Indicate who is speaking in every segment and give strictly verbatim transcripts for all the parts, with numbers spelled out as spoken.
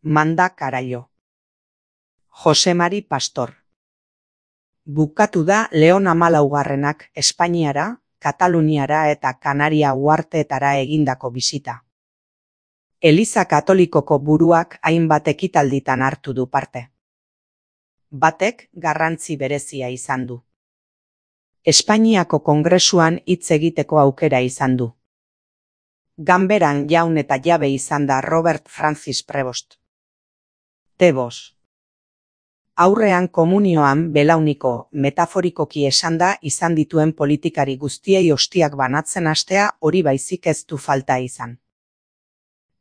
Speaker 1: Manda Carallo. Jose Mari Pastor. Bukatu da Leon hamalaugarrenak Espainiara, Kataluniara eta Kanaria uharteetara egindako bisita. Eliza Katolikoko buruak hainbat ekitalditan hartu du parte. Batek garrantzi berezia izan du. Espainiako Kongresuan hitz egiteko aukera izan du. Ganberan jaun eta jabe izan da Robert Francis Prevost. Tebos. Aurrean komunioan belauniko, metaforikoki esanda izan dituen politikari guztiei ostiak banatzen hastea hori baizik ez du falta izan.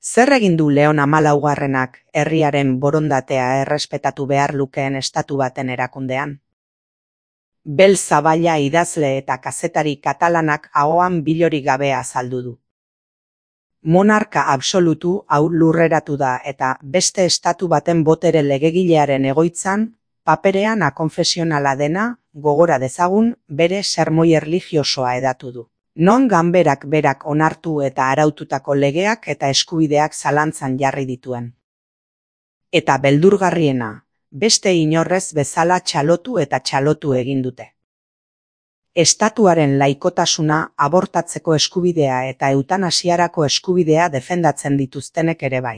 Speaker 1: Zer egin du Leon hamalaugarrenak herriaren borondatea errespetatu behar lukeen estatu baten erakundean? Bel Zaballa idazle eta kazetari katalanak ahoan bilori gabe azaldu du. Monarka absolutu hau lurreratu da eta beste estatu baten botere legegilearen egoitzan, paperean akonfesionala dena, gogora dezagun, bere sermoi erlijiosoa edatu du. Non ganberak berak onartu eta araututako legeak eta eskubideak zalantzan jarri dituen. Eta beldurgarriena, beste inorrez bezala txalotu eta txalotu egin dute. Estatuaren laikotasuna, abortatzeko eskubidea eta eutanasiarako eskubidea defendatzen dituztenek ere bai.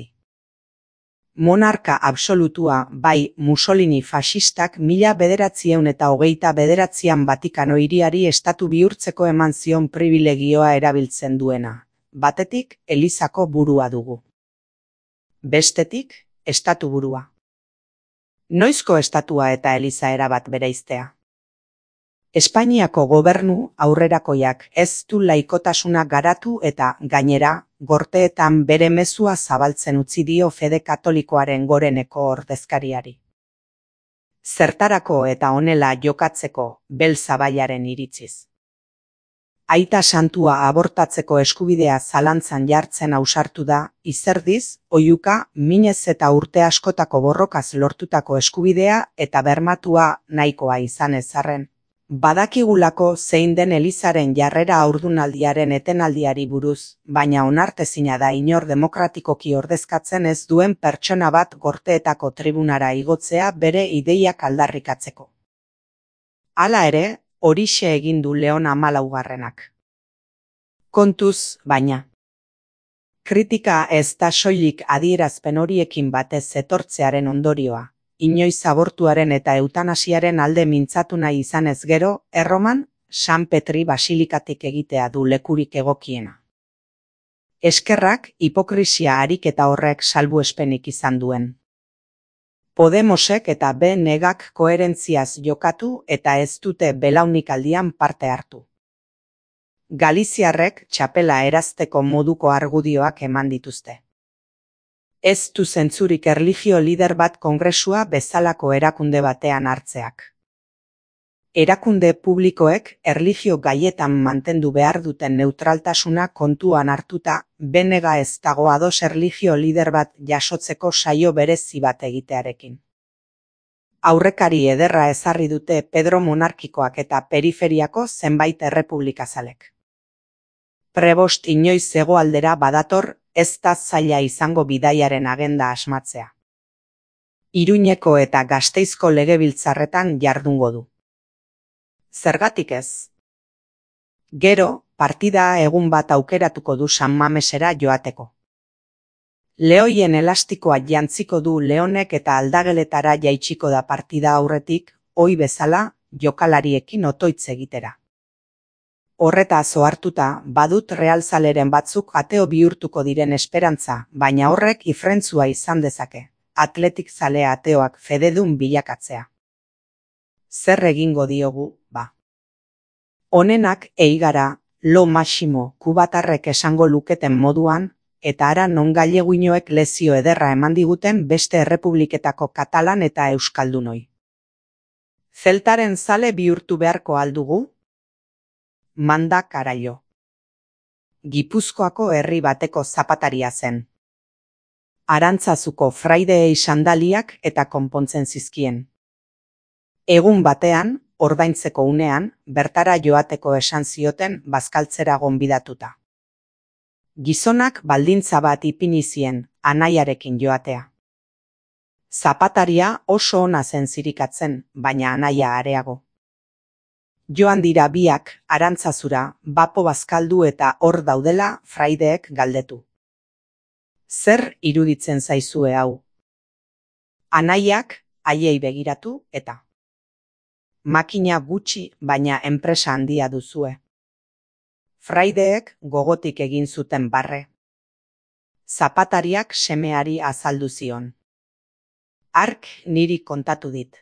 Speaker 1: Monarka absolutua bai Mussolini faxistak mila bederatziehun eta hogeita bederatzian Vatikano hiriari estatu bihurtzeko eman zion pribilegioa erabiltzen duena. Batetik, Elizako burua dugu. Bestetik, estatu burua. Noizko estatua eta Eliza erabat bereiztea? Espainiako gobernu aurrerakoiak ez du laikotasuna garatu eta, gainera, gorteetan bere mezua zabaltzen utzi dio fede katolikoaren goreneko ordezkariari. Zertarako eta honela jokatzeko Bel Zaballaren iritziz. Aita santua abortatzeko eskubidea zalantzan jartzen ausartu da, izerdiz, oihuka, minez eta urte askotako borrokaz lortutako eskubidea eta bermatua nahikoa izan ezarren. Badakigulako zein den Elizaren jarrera haurdunaldiaren etenaldiari buruz, baina onartezina da inor demokratikoki ordezkatzen ez duen pertsona bat gorteetako tribunara igotzea bere ideiak aldarrikatzeko. Hala ere, horixe egin du Leon hamalaugarrenak. Kontuz, baina. Kritika ez da soilik adierazpen horiekin batez etortzearen ondorioa. Inoiz abortuaren eta eutanasiaren alde mintzatu nahi izanez gero, Erroman, San Petri basilikatik egitea du lekurik egokiena. Eskerrak hipokrisia ariketa horrek salbuespenik izan duen. Podemosek eta B negak koherentziaz jokatu eta ez dute belaunikaldian parte hartu. Galiziarrek txapela erazteko moduko argudioak eman dituzte. Ez du zentzurik erlijio lider bat kongresua bezalako erakunde batean hartzeak. Erakunde publikoek erlijio gaietan mantendu behar duten neutraltasuna kontuan hartuta, benega ez dago ados erlijio lider bat jasotzeko saio berezi bat egitearekin. Aurrekari ederra ezarri dute Pedro monarkikoak eta periferiako zenbait errepublikazalek. Prevost inoiz hegoaldera badator, ez da zaila izango bidaiaren agenda asmatzea. Iruñeko eta Gasteizko legebiltzarretan jardungo du. Zergatik ez? Gero, partida egun bat aukeratuko du San Mamesera joateko. Lehoien elastikoa jantziko du Leonek eta aldageletara jaitsiko da partida aurretik, ohi bezala, jokalariekin otoitz egitera. Horretaz ohartuta, badut realzaleren batzuk ateo bihurtuko diren esperantza, baina horrek ifrentzua izan dezake, atletik zale ateoak fededun bilakatzea. Zer egingo diogu, ba? Honenak eigara, lo maximo, kubatarrek esango luketen moduan, eta ara non galleguinoek lezio ederra eman diguten beste errepubliketako katalan eta euskaldunoi. Zeltaren zale bihurtu beharko aldugu? Manda Carallo. Gipuzkoako herri bateko zapataria zen. Arantzazuko fraideei sandaliak eta konpontzen zizkien. Egun batean, ordaintzeko unean, bertara joateko esan zioten bazkaltzera gonbidatuta. Gizonak baldintza bat ipini zien, anaiarekin joatea. Zapataria oso ona zen zirikatzen, baina anaia areago. Joan dira biak Arantzazura bapo bazkaldu eta hor daudela fraideek galdetu. Zer iruditzen zaizue hau? Anaiak haiei begiratu eta. Makina gutxi baina enpresa handia duzue. Fraideek gogotik egin zuten barre. Zapatariak semeari azaldu zion. Hark niri kontatu dit.